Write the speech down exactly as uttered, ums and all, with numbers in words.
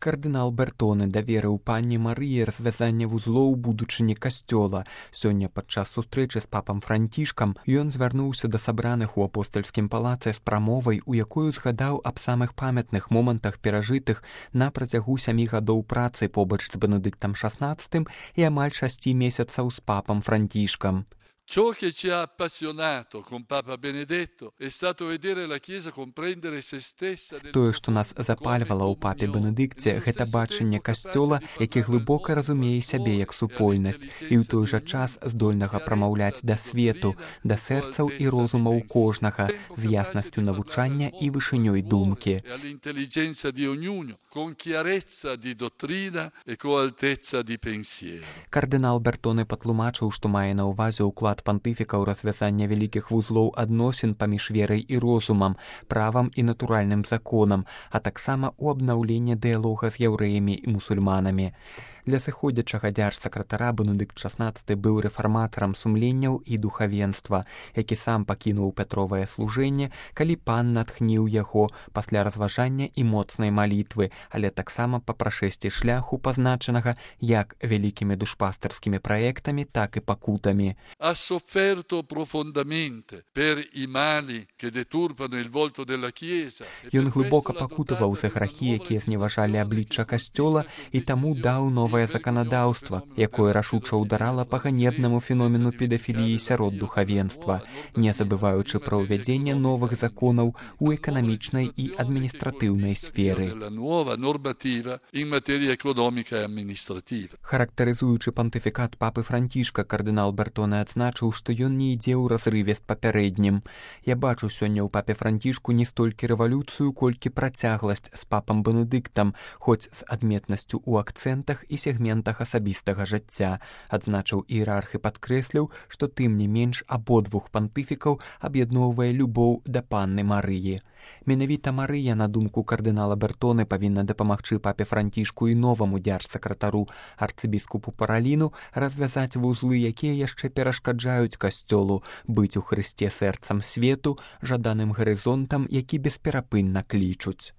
Кардынал Бертоне даверыў панне Марыі развязанне вузлоў будучыні касцёла. Сёння падчас сустрэчы з папам Францішкам ён звярнуўся да сабраных у апостальскім палацы з прамовай, у якую згадаў аб самых памятных момантах перажытых на працягу сямі гадоў працы побач з Бенедыктам шаснаццатым і амаль шасці месяцаў з папам Францішкам. Ciò che ci ha appassionato con Papa Benedetto è stato vedere la Chiesa comprendere se stessa. Тое, што нас запальвала ў папе Бенедыкце, гэта бачанне касцёла, які глыбока разумее сябе як супольнасць і ў той жа час здольнага прамаўляць да свету, да сэрцаў і розумаў кожнага, з яснасцю навучання і вышынёй думкі. Кардынал Бертоне патлумачыў, што мае на ўвазе ўклад пантыфіка ў развязанне вялікіх вузлоў адносін паміж верай і розумам, правам і натуральным законам, а таксама ў абнаўленне дыялога з яўрэямі і мусульманамі. Для сыходзячага дзяржсакратара Бенедыкт шаснаццаты быў рэфарматарам сумленняў і духавенства, які сам пакінуў пятровае служэнне, калі пан натхніў яго пасля разважання і моцнай малітвы, але таксама па прашэсці шляху, пазначанага як вялікімі душпастарскімі праектамі, так і пакутамі. Ha sofferto profondamente per i mali che deturpano il volto della Chiesa. Ён глыбока пакутаваў за грахі, якія зневажалі аблічча касцёла, і таму даў новае заканадаўства, якое рашуча ўдарала па ганебнаму феномену педафіліі сярод духавенства, не забываючы пра ўвядзенне новых законаў у эканамічнай і адміністратыўнай сферы. Характарызуючы пантыфікат папы Францішка, кардынал Бертоне адзначыў, што ён не ідзе ў разрыве з папярэднім. Я бачу сёння ў папе Францішку не столькі рэвалюцыю, колькі працягласць з папам Бенедыктам, хоць з адметнасцю ў акцэнтах і сегментах асабістага жыцця. Адзначыў іерарх і падкрэсліў, што тым не менш абодвух пантыфікаў аб'ядноўвае любоў да панны Марыі. Менавіта Марыя, на думку кардынала Бертоне, павінна дапамагчы папе Францішку і новаму дзяржсакратару арцыбіскупу Параліну развязаць вузлы, якія яшчэ перашкаджаюць касцёлу быць у Хрысце сэрцам свету, жаданым гарызонтам, які бесперапынна клічуць.